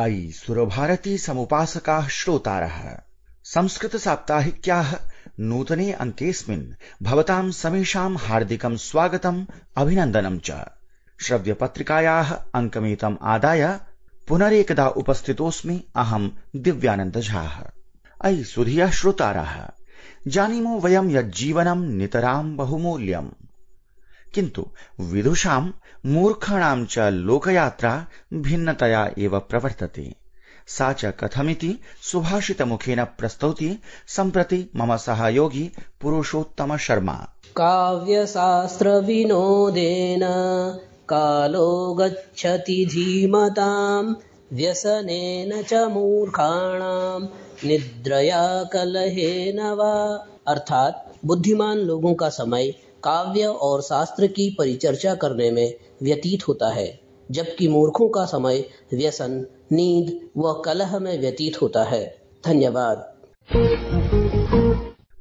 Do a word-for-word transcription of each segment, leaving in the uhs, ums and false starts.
अयि सुरभारती समुपासकाः श्रोतारः, संस्कृत साप्ताहिक्याः नूतने अंकेऽस्मिन् भवतां समेषां हार्दिकं स्वागतम् अभिनन्दनं च। श्रव्यपत्रिकायाः अंकमेतम् आदाय पुनरेकदा उपस्थितोऽस्मि अहं दिव्यानन्द झाः। अयि सुधियः श्रोतारः, जानीमो वयं यज्जीवनं नितरां बहुमूल्यम्, किन्तु विदुषां मूर्खाणां च लोकयात्रा भिन्नतया एव प्रवर्तते। सा च कथमिति सुभाषितमुखेन प्रस्तौति सम्प्रति मम सहयोगी पुरुषोत्तम शर्मा। काव्यशास्त्र विनोदेन कालो गच्छति धीमतां, व्यसनेन च मूर्खाणां निद्रया कलहेन वा। अर्थात बुद्धिमान लोगों का समय काव्य और शास्त्र की परिचर्चा करने में व्यतीत होता है, जबकि मूर्खों का समय व्यसन, नींद व कलह में व्यतीत होता है। धन्यवाद।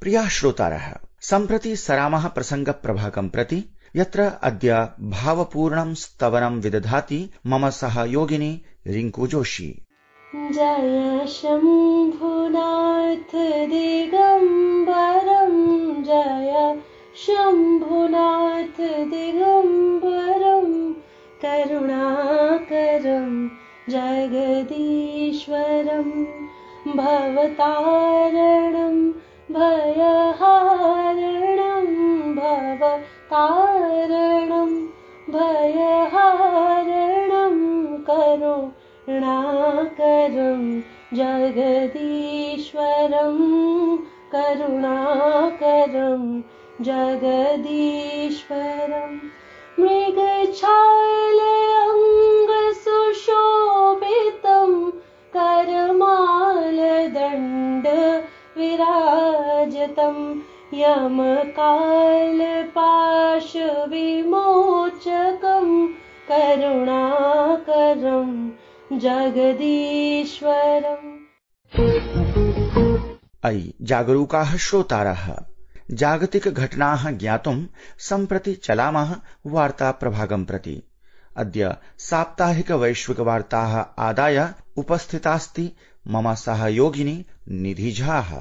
प्रिया श्रोतारः, सम्प्रति सरामः प्रसंग प्रभागं प्रति, यत्र अद्य भावपूर्णं स्तवनं विदधाति मम सहयोगिनी रिंकू जोशी। जय शम्भुनाथ दिगंबरं, जय शम्भुनाथ दिगंबरं, करुणाकरं जगदीश्वरं, भवतारणं भयहारणं, भवतारणं भयहारणं, करुणाकरं जगदीश्वरं, करुणाकरं जगदीश्वरं। मृगछायलेऽङ्गसुशोभितं, करमालदण्ड विराजतं, यमकालपाशविमोचकं, करुणाकरं जगदीश्वरम्। अयि जागरूकाः श्रोतारः, जागतिक घटनाः ज्ञातुं सम्प्रति चलामः वार्ता प्रभागं प्रति। अद्य साप्ताहिक वैश्विक वार्ताः आदाय उपस्थितास्ति मम सहयोगिनी निधि झाः।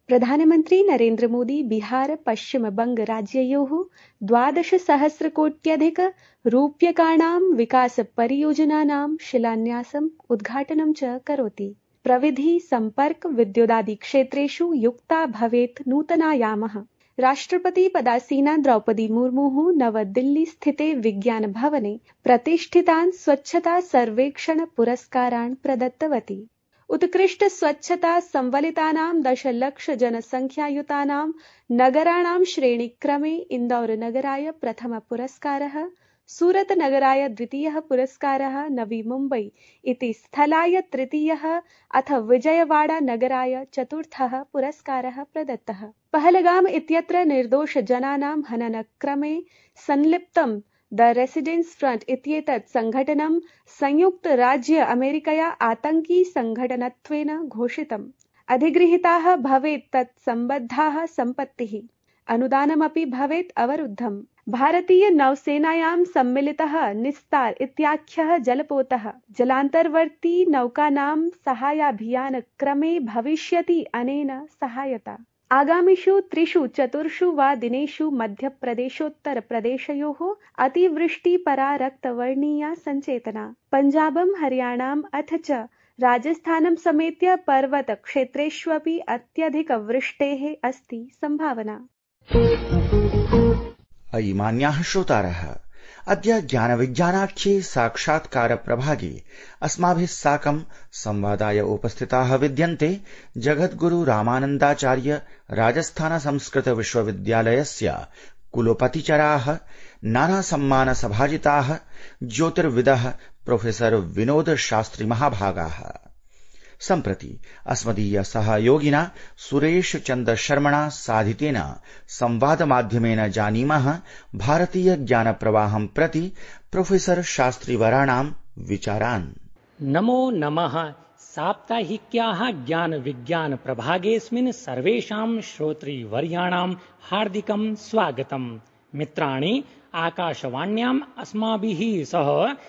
प्रधानमन्त्री नरेन्द्र मोदी बिहार पश्चिम बंग राज्ययोः द्वादश सहस्रकोट्यधिक रूप्यकाणां विकास परियोजनानां शिलान्यासम् उद्घाटनं च करोति। प्रविधि संपर्क विद्युदादि क्षेत्रेषु युक्ता भवेत् नूतनायामः। राष्ट्रपति पदासीना द्रौपदी मुर्मुः नवदिल्ली स्थिते विज्ञान भवने प्रतिष्ठितान् स्वच्छता सर्वेक्षण पुरस्कारान् प्रदत्तवती। उत्कृष्ट स्वच्छता संवलितानां दशलक्ष जनसंख्यायुतानां नगराणां श्रेणीक्रमे इन्दौर नगराय प्रथम पुरस्कारः, सूरत नगराय द्वितीयः पुरस्कारः, नवी मुम्बई इति स्थलाय तृतीयः अथ विजयवाड़ा नगराय चतुर्थः पुरस्कारः प्रदत्तः। पहलगाम इत्यत्र निर्दोष जनानां हननक्रमे संलिप्तं द रेसिडेंस फ्रंट इत्येतत् संघटनं संयुक्त राज्य अमेरिकया आतंकी संघटनत्वेन घोषितम्। अधिगृहीताः भवेत् तत् सम्बद्धाः सम्पत्तिः, अनुदानमपि भवेत् अवरुद्धम्। भारतीय नौसेनायां सम्मिलितः निस्तार इत्याख्यः जलपोतः जलान्तर्वर्ती नौकानां साहाय्याभियानक्रमे भविष्यति अनेन सहायता। आगामिषु त्रिषु चतुर्षु वा दिनेषु मध्यप्रदेशोत्तरप्रदेशयोः अतिवृष्टिपरा रक्तवर्णीया सञ्चेतना। पञ्जाबं, हरियाणाम् अथ च राजस्थानं समेत्य पर्वत क्षेत्रेष्वपि अत्यधिकवृष्टेः अस्ति सम्भावना। अयि मान्याः श्रोतारः, अद्य ज्ञानविज्ञानाख्ये साक्षात्कार प्रभागे अस्माभिः साकं संवादाय उपस्थिताः विद्यन्ते जगद्गुरु रामानन्दाचार्य राजस्थान संस्कृत विश्वविद्यालयस्य कुलपतिचराः, नाना सम्मान सभाजिताः ज्योतिर्विदः प्रोफेसर विनोद शास्त्री महाभागाः। सम्प्रति अस्मदीय सहयोगिना सुरेश चन्द्र शर्मणा साधितेन संवाद माध्यमेन जानीमः भारतीय ज्ञान प्रवाहं प्रति प्रोफेसर शास्त्रीवराणां विचारान्। नमो नमः। साप्ताहिक्याः ज्ञान विज्ञान प्रभागेऽस्मिन् सर्वेषां श्रोतृवर्याणां हार्दिकं स्वागतम्। मित्राणि, आकाशवाण्याम् अस्माभिः सह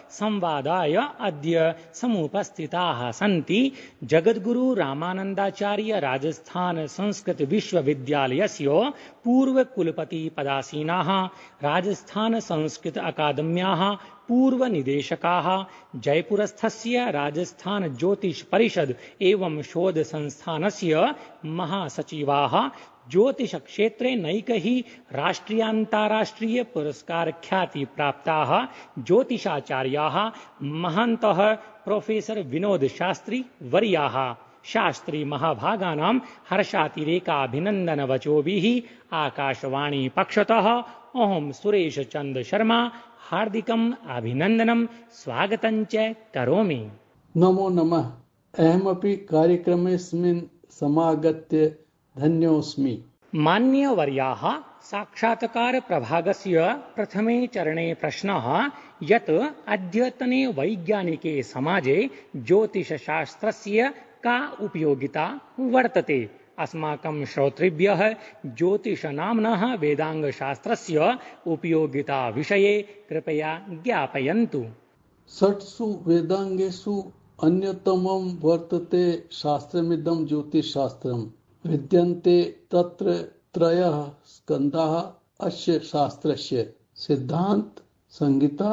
संवादाय अद्य समुपस्थिताः सन्ति जगद्गुरु रामानन्दाचार्य राजस्थान संस्कृत विश्वविद्यालयस्य पूर्वकुलपति पदासीनाः, राजस्थान संस्कृत अकादम्याः पूर्वनिदेशकाः, जयपुरस्थस्य राजस्थान ज्योतिष परिषद एवं शोध संस्थानस्य महासचिवाः, ज्योतिष क्षेत्रे नैकैः राष्ट्रियान्ताराष्ट्रिय पुरस्कार ख्याति प्राप्ताः ज्योतिषाचार्याः महन्तः प्रोफेसर विनोद शास्त्री वर्याः शास्त्री महाभागानां हर्षातिरेकाभिनन्दन वचोभिः आकाशवाणी पक्षतः अहं सुरेश चंद्र शर्मा हार्दिकम् अभिनन्दनं स्वागतं च करोमि। नमो नमः। अहमपि कार्यक्रमेऽस्मिन् समागत्य धन्योऽस्मि। मान्यवर्याः, साक्षात्कार प्रभागस्य प्रथमे चरणे प्रश्नः यत् अद्यतने वैज्ञानिके समाजे ज्योतिषशास्त्रस्य का उपयोगिता वर्तते। अस्माकं श्रोतृभ्यः ज्योतिषनाम्नः वेदाङ्गशास्त्रस्य उपयोगिता विषये कृपया ज्ञापयन्तु। षट्सु वेदाङ्गेषु अन्यतमं वर्तते शास्त्रमिदं ज्योतिषशास्त्रम्। विद्यन्ते तत्र त्रयः स्कन्धाः अस्य शास्त्रस्य: सिद्धान्त, संहिता,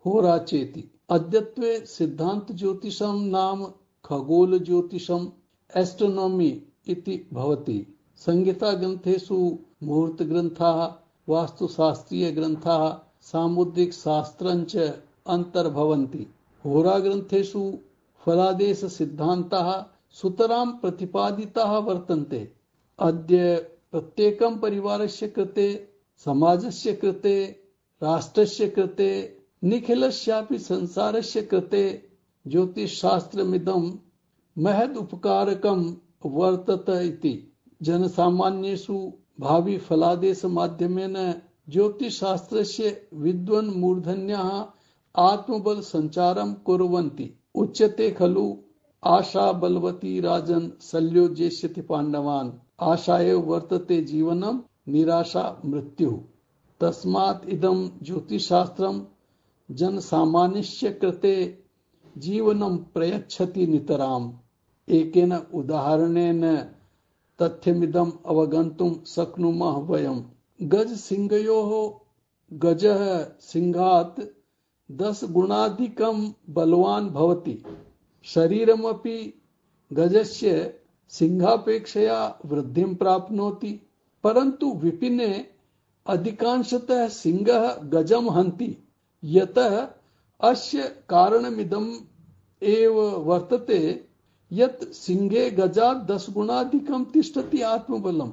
होरा चेति। अद्यत्वे सिद्धान्त ज्योतिषं नाम खगोल ज्योतिषम् एस्ट्रोनॉमी इति भवति। संहिता ग्रन्थेषु मुहूर्त ग्रन्थाः, वास्तुशास्त्रीय ग्रन्थाः, सामुद्रिक शास्त्रञ्च अन्तर्भवन्ति। होरा ग्रन्थेषु फलादेश सिद्धान्ताः सुतरां प्रतिपादिताः वर्तन्ते। अद्य प्रत्येकं परिवारस्य कृते, समाजस्य कृते, राष्ट्रस्य कृते, निखिलस्यापि संसारस्य कृते ज्योतिषशास्त्रमिदं महद् उपकारकं वर्तते इति। जनसामान्येषु भावी फलादेश माध्यमेन ज्योतिषशास्त्रस्य विद्वन् मूर्धन्याः आत्मबल संचारं कुर्वन्ति। उच्यते खलु आशा बलवती राजन् शल्यो जेष्यति पाण्डवान्। आशा एव वर्तते जीवनं, निराशा मृत्युः। तस्मात् इदं ज्योतिषशास्त्रं जनसामान्यस्य कृते जीवनं प्रयच्छति नितराम्। एकेन उदाहरणेन तथ्यमिदम् अवगन्तुं शक्नुमः वयम्। गज सिंहयोः गजः सिंहात् दश गुणाधिकं बलवान् भवति। शरीरमपि गजस्य सिंहापेक्षया वृद्धिं प्राप्नोति, परन्तु विपिने अधिकांशतः सिंहः गजं हन्ति। यतः अस्य कारणमिदम् एव वर्तते यत् सिंहे गजात् दश गुणाधिकं तिष्ठति आत्मबलम्,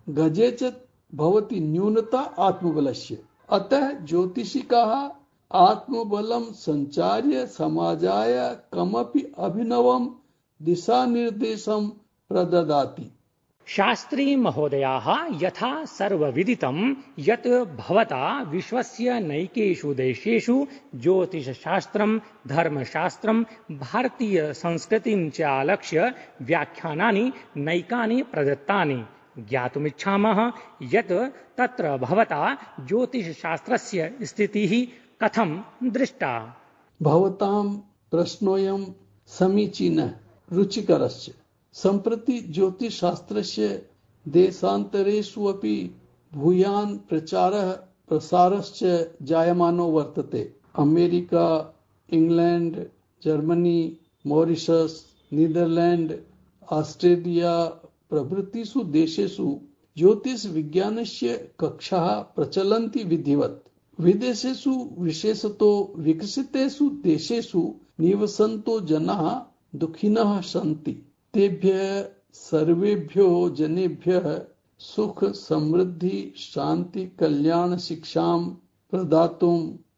गजे च भवति न्यूनता आत्मबलस्य। अतः ज्योतिषिकाः आत्मबलं संचार्य समाजाय कमपि अभिनवं दिशानिर्देशं प्रददाति। शास्त्री महोदयाः, यथा सर्वविदितं यत् भवता विश्वस्य नैकेषु देशेषु ज्योतिषशास्त्रं, धर्मशास्त्रं, भारतीय संस्कृतिं च आलक्ष्य व्याख्यानानि नैकानि प्रदत्तानि। ज्ञातुमिच्छामः यत् तत्र भवता ज्योतिषशास्त्रस्य स्थितिः कथं दृष्टा। भवतां प्रश्नोऽयं समीचीनः, रुचिकरश्च। सम्प्रति ज्योतिषशास्त्रस्य देशान्तरेषु अपि भूयान् प्रचारः प्रसारश्च जायमानो वर्तते। America, England, Germany, Mauritius, Netherland, Australia प्रभृतिषु देशेषु ज्योतिष विज्ञानस्य कक्षाः प्रचलन्ति विधिवत्। विदेशेषु, विशेषतो विकसितेषु देशेषु निवसन्तो जनाः दुःखिनः सन्ति। तेभ्यः सर्वेभ्यो जनेभ्यः सुख, समृद्धि, शांति, कल्याण शिक्षां प्रदातुं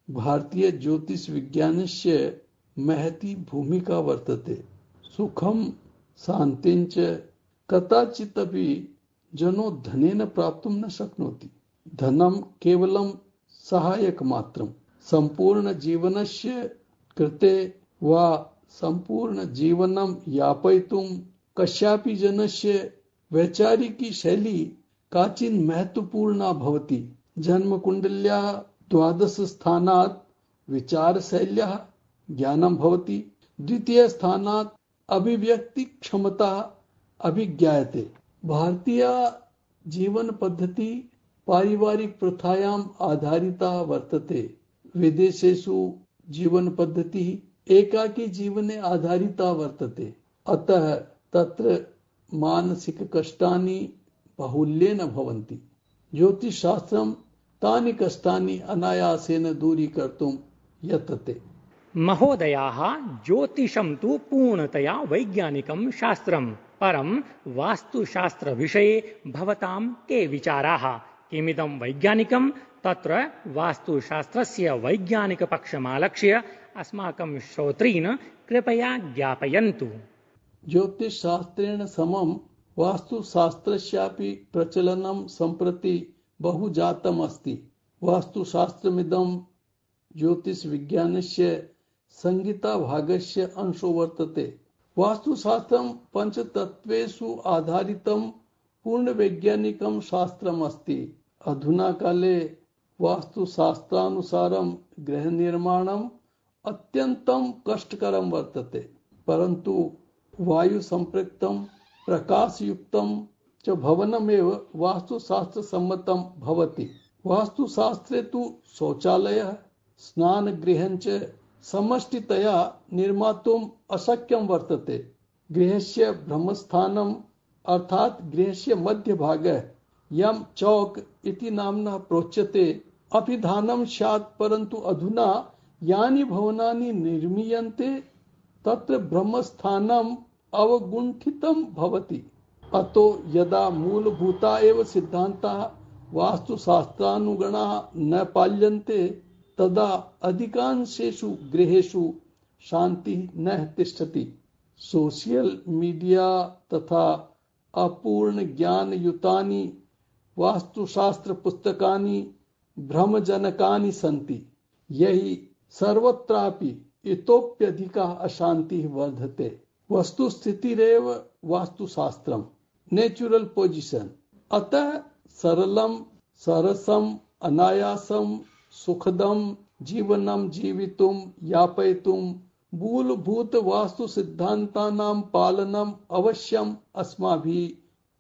भारतीय ज्योतिष विज्ञानस्य महती भूमिका वर्तते। सुखं शान्तिञ्च कदाचिदपि जनो धनेन प्राप्तुं न शक्नोति। धनं केवलं सहायकमात्रं। सम्पूर्ण जीवनस्य कृते वा सम्पूर्ण जीवनं यापयितुं कस्यापि जनस्य वैचारिकी शैली काचित् महत्वपूर्णा भवति। जन्मकुण्डल्या द्वादश स्थानात् विचारशैल्याः ज्ञानं भवति। द्वितीय स्थानात् अभिव्यक्ति क्षमता अभिज्ञायते। भारतीय जीवन पद्धति पारिवारिक प्रथायाम् आधारिता वर्तते। विदेशेषु जीवन पद्धति एकाकी जीवने आधारिता वर्तते। अतः तत्र मानसिक कष्टानि बाहुल्येन भवन्ति। ज्योतिषशास्त्रं तानि कष्टानि अनायासेन दूरीकर्तुं यतते। महोदयाः, ज्योतिषं तु पूर्णतया वैज्ञानिकं शास्त्रं, परं वास्तुशास्त्रविषये भवतां के विचाराः? किमिदं वैज्ञानिकं? तत्र वास्तुशास्त्रस्य वैज्ञानिकपक्षमालक्ष्य अस्माकं श्रोतॄन् कृपया ज्ञापयन्तु। ज्योतिषशास्त्रेण समं वास्तुशास्त्रस्यापि प्रचलनं सम्प्रति बहु जातम् अस्ति। वास्तुशास्त्रमिदं ज्योतिषविज्ञानस्य संहिताभागस्य अंशो वर्तते। वास्तुशास्त्रं पञ्चतत्त्वेषु आधारितं पूर्णवैज्ञानिकं शास्त्रम् अस्ति। अधुना काले वास्तुशास्त्रानुसारं गृहनिर्माणम् अत्यन्तं कष्टकरं वर्तते, परन्तु वायुसम्पृक्तं प्रकाशयुक्तं च भवनमेव वास्तुशास्त्रसम्मतं भवति। वास्तुशास्त्रे तु शौचालयः स्नानगृहञ्च समष्टितया निर्मातुम् अशक्यं वर्तते। गृहस्य ब्रह्मस्थानम् अर्थात् गृहस्य मध्यभागः यं चौक इति नाम्ना प्रोच्यते अभिधानं स्यात्, परन्तु अधुना यानि भवनानि निर्मीयन्ते तत्र ब्रह्मस्थानम् अवगुण्ठितं भवति। अतो यदा मूलभूता एव सिद्धान्ताः वास्तुशास्त्रानुगुणाः न पाल्यन्ते तदा अधिकांशेषु गृहेषु शान्तिः न तिष्ठति। सोशियल मीडिया तथा अपूर्ण ज्ञानयुतानि वास्तुशास्त्र पुस्तकानि भ्रमजनकानि सन्ति। यही सर्वत्रापि इतोप्यधिका अशान्तिः वर्धते। वस्तुस्थितिरेव वास्तुशास्त्रम्, नेचुरल पोजिशन। अतः सरलं सरसम् अनायासं सुखदं जीवनं जीवितुं यापयितुं मूलभूत वास्तु सिद्धान्तानां पालनम् अवश्यम् अस्माभिः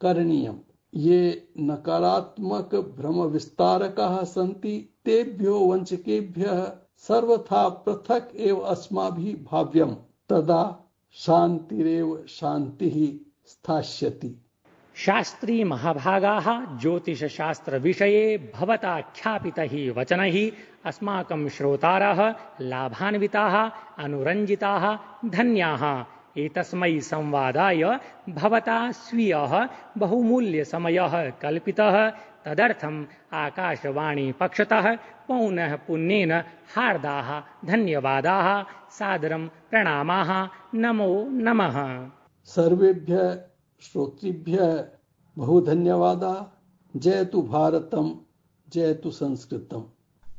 करणीयम्। ये नकारात्मक भ्रम विस्तारकाः सन्ति तेभ्यो वञ्चकेभ्यः सर्वथा पृथक् एव अस्माभिः भाव्यम्। तदा शान्तिरेव शान्तिः स्थास्यति। शास्त्री महाभागाः ज्योतिषशास्त्रविषये भवता ख्यापितैः वचनैः अस्माकं श्रोतारः लाभान्विताः, अनुरञ्जिताः, धन्याः। एतस्मै संवादाय भवता स्वीयः बहुमूल्यसमयः कल्पितः। तदर्थम् आकाशवाणी पक्षतः पौनः पुन्येन हार्दाः धन्यवादाः, सादरं प्रणामाः। नमो नमः। सर्वेभ्यः श्रोतृभ्यः बहु धन्यवादाः। जयतु भारतम्, जयतु संस्कृतम्।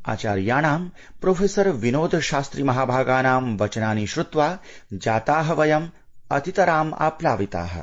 आचार्याणां प्रोफेसर विनोद शास्त्री महाभागानां वचनानि श्रुत्वा जाताः वयम् अतितराम् आप्लाविताः।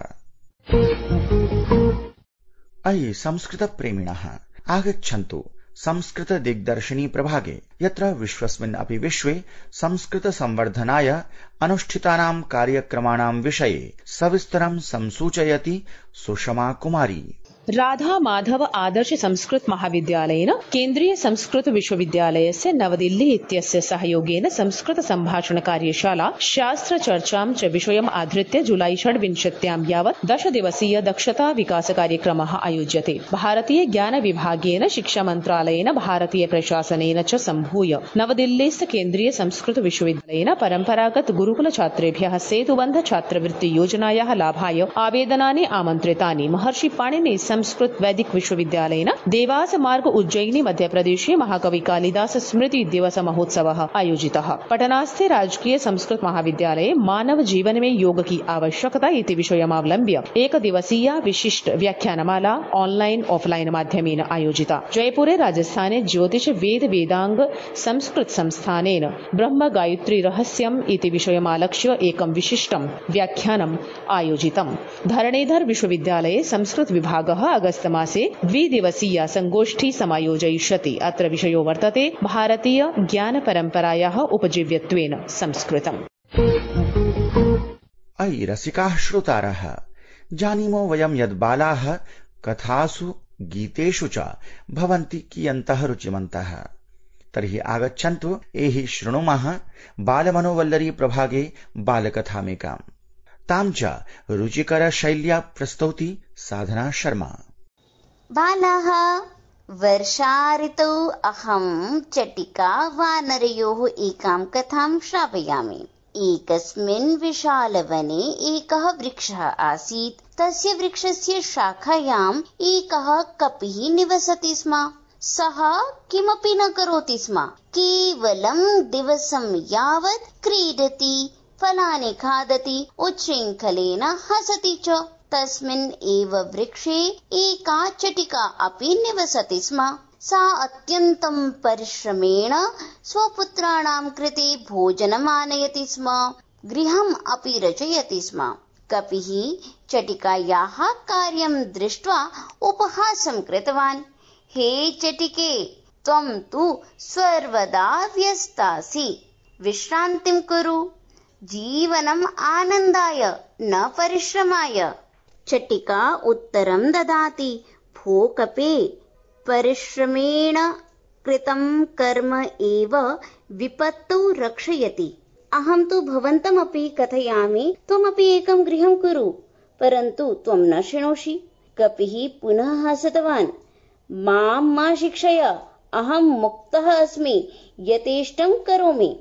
अयि संस्कृतप्रेमिणः, आगच्छन्तु संस्कृत दिग्दर्शिनी प्रभागे, यत्र विश्वस्मिन् अपि विश्वे संस्कृत संवर्धनाय अनुष्ठितानां कार्यक्रमाणां विषये सविस्तरं संसूचयति सुषमा कुमारी। राधा माधव आदर्श संस्कृत महाविद्यालयेन केन्द्रीय संस्कृत विश्वविद्यालयस्य नवदिल्ली इत्यस्य सहयोगेन संस्कृत सम्भाषण कार्यशाला शास्त्र चर्चां च विषयम् आधृत्य जुलाई षड्विंशत्यां यावत् दश दिवसीय दक्षता विकास कार्यक्रमः आयोज्यते। भारतीय ज्ञान विभागेन, शिक्षा मन्त्रालयेन, भारतीय प्रशासनेन च सम्भूय नवदिल्लीस्थ केन्द्रीय संस्कृत विश्वविद्यालयेन परम्परागत गुरुकुल छात्रेभ्यः सेतुबन्ध छात्रवृत्ति योजनायाः लाभाय आवेदनानि आमन्त्रितानि। महर्षि पाणिनि संस्कृत वैदिक विश्वविद्यालयेन देवास मार्ग उज्जयिनी मध्यप्रदेशे महाकवि कालिदास स्मृति दिवस महोत्सवः आयोजितः। पटनास्थे राजकीय संस्कृत महाविद्यालये मानव जीवन में योग की आवश्यकता इति विषयमावलम्ब्य एक दिवसीया विशिष्ट व्याख्यानमाला ऑनलाइन ऑफलाइन माध्यमेन आयोजिता। जयपुरे राजस्थाने ज्योतिष वेद वेदांग संस्कृत संस्थानेन ब्रह्म गायत्री रहस्यम् इति विषयमालक्ष्य एकं विशिष्टं व्याख्यानम् आयोजितम्। धरणीधर विश्वविद्यालये संस्कृत विभागः विभागः अगस्त मासे द्विदिवसीया संगोष्ठी समायोजयिष्यति। अत्र विषयो वर्तते भारतीय ज्ञानपरम्परायाः उपजीव्यत्वेन संस्कृतम्। अयि रसिकाः श्रोतारः, जानीमो वयं यद् बालाः कथासु गीतेषु च भवन्ति कियन्तः रुचिमन्तः। तर्हि आगच्छन्तु एहि शृणुमः बालमनोवल्लरी प्रभागे बालकथामेकाम्। तां च रुचिकर शैल्या प्रस्तौति साधना शर्मा। बालाः, वर्षा ऋतौ अहं चटिका वानरयोः एकां कथां श्रावयामि। एकस्मिन् विशालवने एकः वृक्षः आसीत्। तस्य वृक्षस्य शाखायाम् एकः कपिः निवसति स्म। सः किमपि न करोति स्म, केवलं दिवसं यावत् क्रीडति, फलानि खादति, उच्छृङ्खलेन हसति च। तस्मिन् एव वृक्षे एका चटिका अपि निवसति स्म। सा अत्यन्तं परिश्रमेण स्वपुत्राणां कृते भोजनम् आनयति स्म, गृहम् अपि रचयति स्म। कपिः चटिकायाः कार्यं दृष्ट्वा उपहासं कृतवान्। हे चटिके, त्वं तु सर्वदा व्यस्तासि, विश्रान्तिं कुरु। जीवनम् आनन्दाय न परिश्रमाय। चटिका उत्तरं ददाति, भो कपे, परिश्रमेण कृतं कर्म एव विपत्तौ रक्षयति। अहं तु भवन्तमपि कथयामि, त्वमपि एकं गृहं कुरु, परन्तु त्वं न शृणोषि। कपिः पुनः हसितवान्। मां मा शिक्षय, अहं मुक्तः अस्मि, यथेष्टं करोमि।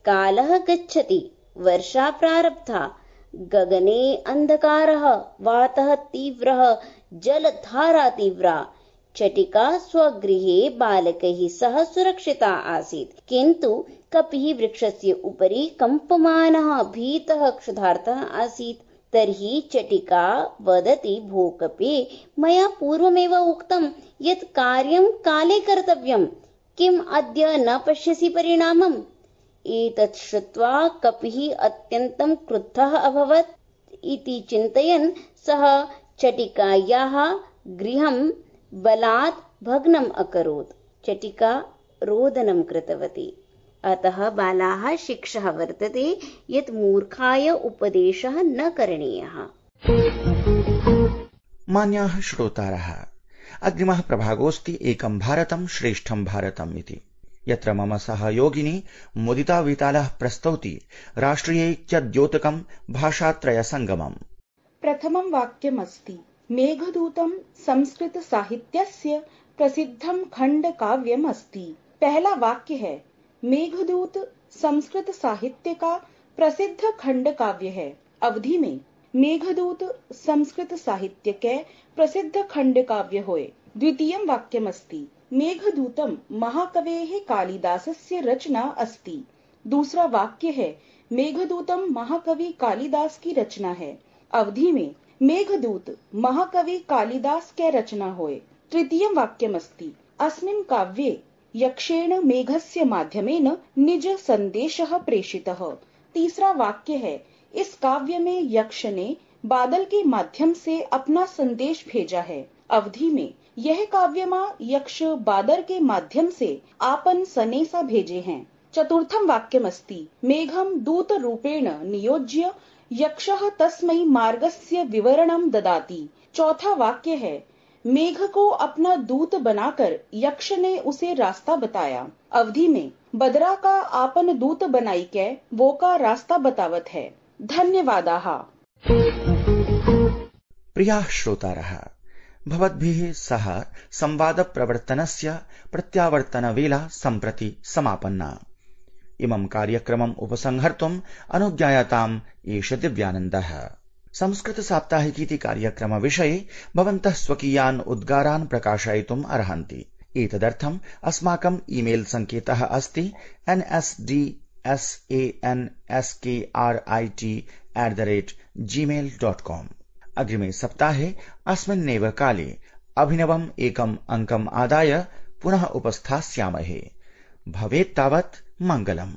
कालः गच्छति, वर्षा प्रारब्धा, गगने अन्धकारः, वातः तीव्रः, जलधारा तीव्रा। चटिका स्वगृहे बालकैः सह सुरक्षिता आसीत्, किन्तु कपिः वृक्षस्य उपरि कम्पमानः, भीतः, क्षुधार्तः आसीत्। तर्हि चटिका वदति, भो कपे, मया पूर्वमेव उक्तं यत् कार्यं काले कर्तव्यं, किम् अद्य न पश्यसि परिणामम्? एतत् श्रुत्वा कपिः अत्यन्तं क्रुद्धः अभवत्। इति चिन्तयन् सः चटिकायाः गृहं बलात् भग्नम् अकरोत्। चटिका रोदनं कृतवती। अतः बालाः शिक्षः वर्तते यत् मूर्खाय उपदेशः न करणीयः। मान्याः श्रोतारः, अग्रिमः प्रभागोऽस्ति एकं भारतं श्रेष्ठं भारतम् इति, यत्र मम सहयोगिनी मुदिता वितालः प्रस्तौति राष्ट्रियैक्यद्योतकं भाषात्रयसङ्गमम्। प्रथमं वाक्यमस्ति, मेघदूतं संस्कृत साहित्यस्य प्रसिद्धं खंडकाव्यम् अस्ति। पहला वाक्य है, मेघदूत संस्कृत साहित्य का प्रसिद्ध खंड काव्य है। अवधि में मेघदूत संस्कृत साहित्य के प्रसिद्ध खंड काव्य होय। द्वितीयं वाक्यमस्ति, मेघदूतं महाकवेः कालिदासस्य रचना अस्ति। दूसरा वाक्य है, मेघदूतं महाकवि कालिदास की रचना है। अवधि में मेघदूत महाकवि कालिदास के रचना होय। तृतीयं वाक्यमस्ति, अस्मिन् काव्ये यक्षेण मेघस्य माध्यमेन निज संदेशः प्रेषितः। तीसरा वाक्य है, इस काव्य में यक्ष ने बादल के माध्यम से अपना संदेश भेजा है। अवधि में यह काव्यमा यक्ष बादल के माध्यम से आपन सनेसा भेजे हैं। चतुर्थं वाक्यमस्ति, मेघं दूत रूपेण नियोज्य यक्षः तस्मै मार्गस्य विवरणं ददाति। चौथा वाक्य है, मेघ को अपना दूत बनाकर यक्ष ने उसे रास्ता बताया। अवधि में बदरा का आपन दूत बनाई के वो का रास्ता बतावत है। धन्यवादाः। प्रियाः श्रोतारः, भवद्भिः सह संवादप्रवर्तनस्य प्रत्यावर्तनवेला सम्प्रति समापन्ना। इमं कार्यक्रमम् उपसंहर्तुम् अनुज्ञायताम् एष दिव्यानन्दः। संस्कृत साप्ताहिकीति कार्यक्रम विषये भवन्तः स्वकीयान् उद्गारान् प्रकाशयितुम् अर्हन्ति। एतदर्थम् अस्माकम् ईमेल सङ्केतः अस्ति N S D S A N S K R I T at the rate Gmail dot com. अग्रिमे सप्ताहे अस्मिन्नेव काले अभिनवम् एकम् अङ्कम् आदाय पुनः उपस्थास्यामहे। भवेत् तावत् मङ्गलम्।